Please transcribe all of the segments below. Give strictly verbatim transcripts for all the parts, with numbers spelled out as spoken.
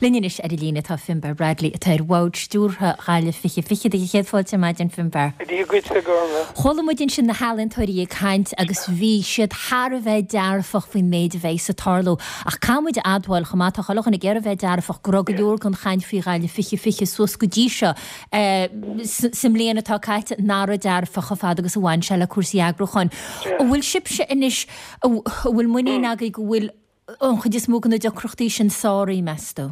Linn anois ar an líne tá Finbarr Bradley atá ar bhord stiúrtha Ghaillimh fiche fiche do chéad fáilte maidin Finbarr. Dia dhuit a Ghormfhlaith. Chuala muid ansin na healaíontóirí ag caint agus bhí siad thar a bheith dearfach faoin méid a bheidh ag tarlú. Ach caithfidh muid a admháil chomh maith tá chuile dhuine ag iarraidh bheith dearfach go raibh go leor den chaint faoi Ghaillimh fiche fiche suas go dtí seo sa mbliain atá caite nach raibh dearfach chomh fada agus a bhain sé le cúrsaí eagrúcháin. An bhfuil sibhse anois an bhfuil muinín agaibh go bhfuil an chuid is mó de na deacrachtaí sin sáraithe meas tú?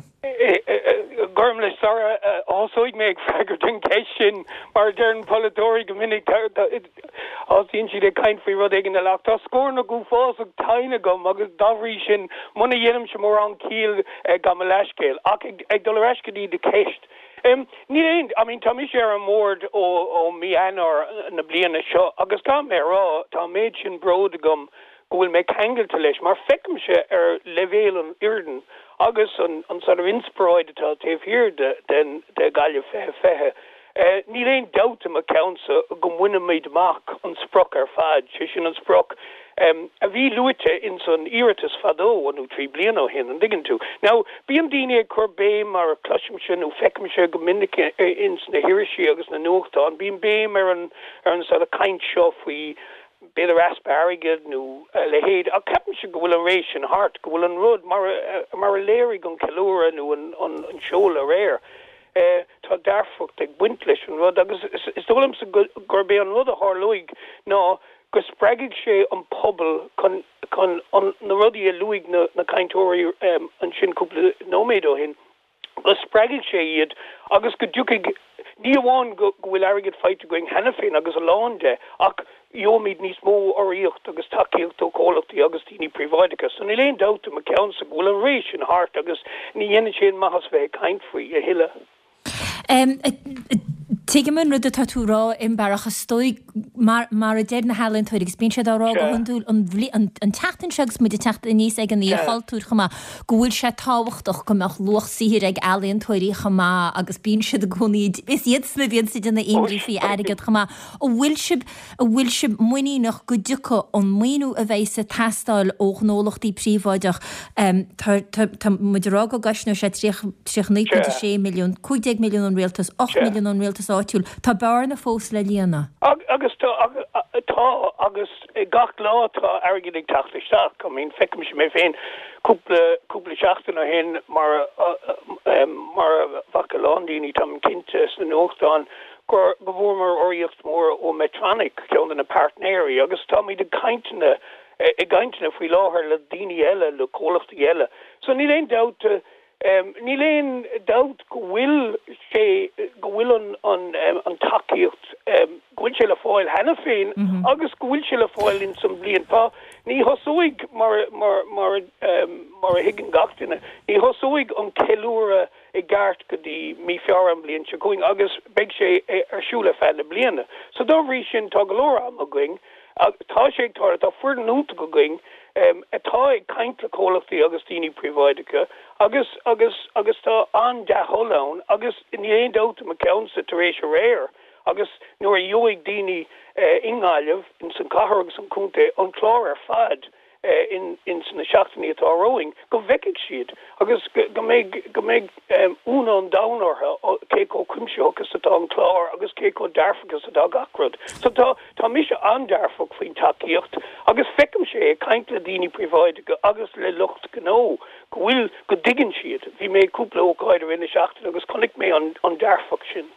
Gormfhlaith sara thosóidh mé ag freagairt an cheist sin mar deireann polaiteoirí go minic tosaíonn siad ag caint faoi rud éigin eile ach tá scornach uafásach tinn agam agus dá bhrí sin muna dhéanaimse mórán ciall gabh mo leithscéal ach ag dul ar ais go dtí do cheist. Um, ní aon I mean tá mise ar an mbord ó ó mí Eanáir na bliana seo agus tá mé rá tá méid sin bród agam go bhfuil mé ceangailte leis mar feicimse ar leibhéal an fhoireann agus an an sort of inspioráid atá taobh thiar de den de Gaillimh fiche fiche. Uh, níl aon dabht i mo cheannsa go mbainfimid amach an sprioc ar fad, sé sin an sprioc um, a bhí luaite in san iarratas fadó nó trí bliana ó shin an dtuigeann tú. Now bíonn daoine ag cur béim mar cloisimse nó feicimse go minic ins na hirisí agus na nuachtáin, bíonn béim ar an ar an sort of caint seo faoi b'fhéidir easpa airgid nó a leithéid ach ceapaimse go bhfuil an ré sin thart go bhfuil an rud mar mar a léirigh an ceiliúradh nó an an, an seoladh aréir. Uh, tá dearfacht ag baint leis an rud agus is, is dóigh liomsa gurb é an rud a tharlóidh ná go spreagfaidh sé an pobal chun chun an na rudaí a luaigh na, na cainteoirí um, ansin cúpla nóiméad ó shin go spreagfaidh sé iad agus go dtiocfaidh ní amháin go go bhfuil airgead faighte againn cheana féin agus a lán de ach gheobhaimid níos mó urraíocht agus tacaíocht ó chomhlachtaí agus daoine príobháideacha, so níl aon dabht i mo cheannsa go bhfuil an ré sin thart agus ní dhéanann sé aon maitheas bheith ag caint faoi a thuilleadh. Um, Tuigim an rud atá tú rá Fhionnbarr ach is dóigh mar mar a deir na healaíontóirí agus bíonn siad á rá go hiondúil an an, an tseachtain seo agus muid ag teacht aníos ag an Oíche Chultúir chomh maith go bhfuil sé tábhachtach go mbeadh luach saothair ag ealaíontóirí chomh maith agus bíonn siad i gcónaí is iad sna bhíonn siad ina imní faoi airgead chomh maith. An bhfuil sibh an bhfuil sibh muiníneach go dtiocfaidh an maoiniú a bheidh ag teastáil ó ghnólachtaí príobháideach um, tá muid rá go gcosnóidh sé tríocha naoi ponc sé milliún, cúig déag milliún ón rialtas, ocht milliún ón rialtas áitiúil, Tá bearna fós le líonadh. Agus tá tá agus gach lá tá airgead ag teacht isteach, I mean feicimse mé féin cúpla cúpla seachtain ó shin mar mar a bhfaca a lán daoine tá cinnte sna nuachtáin gur go bhfuaireamar urraíocht mór ó Medtronic ceann de na páirtnéirí agus táimid ag cainteanna i gcainteanna faoi láthair le daoine eile le comhlachtaí eile. So níl aon dabht um, níl aon dabht go bhfuil sé go bhfuil an an um, an tacaíocht um, go bhfuil sé le fáil cheana féin mm -hmm. agus go bhfuil sé le fáil in san bliain tá ní thosóidh mar mar mar um, mar a thuigeann gach duine ní thosóidh an ceiliúradh i gceart go dtí mí Feabhra an bhliain seo chugainn agus beidh sé ar siúl ar feadh na bliana. So dá bhrí sin tá go leor am againn tá sé ag tá tá foireann iontach againn um, atá ag caint le comhlachtaí agus daoine príobháideacha agus agus agus tá an dea-thoil ann agus ní aon dabht i mo cheannsa tar éis aréir agus nuair a gheobhaidh daoine uh, i nGaillimh in san cathair agus an contae an clár ar fad uh, in in sna seachtainí atá romhainn go bhfeicfidh siad agus go mbeidh go mbeidh um, ionadh an domhain orthu cé chomh cuimsitheach is atá an clár agus cé chomh dearfach is atá gach rud. So tá tá mise an-dearfach faoin tacaíocht agus feicimse ag caint le daoine príobháideacha agus le lucht gnó go bhfuil go dtuigeann siad. Bhí mé cúpla ócáid ina seachtain agus chonaic mé an, an dearfach sin.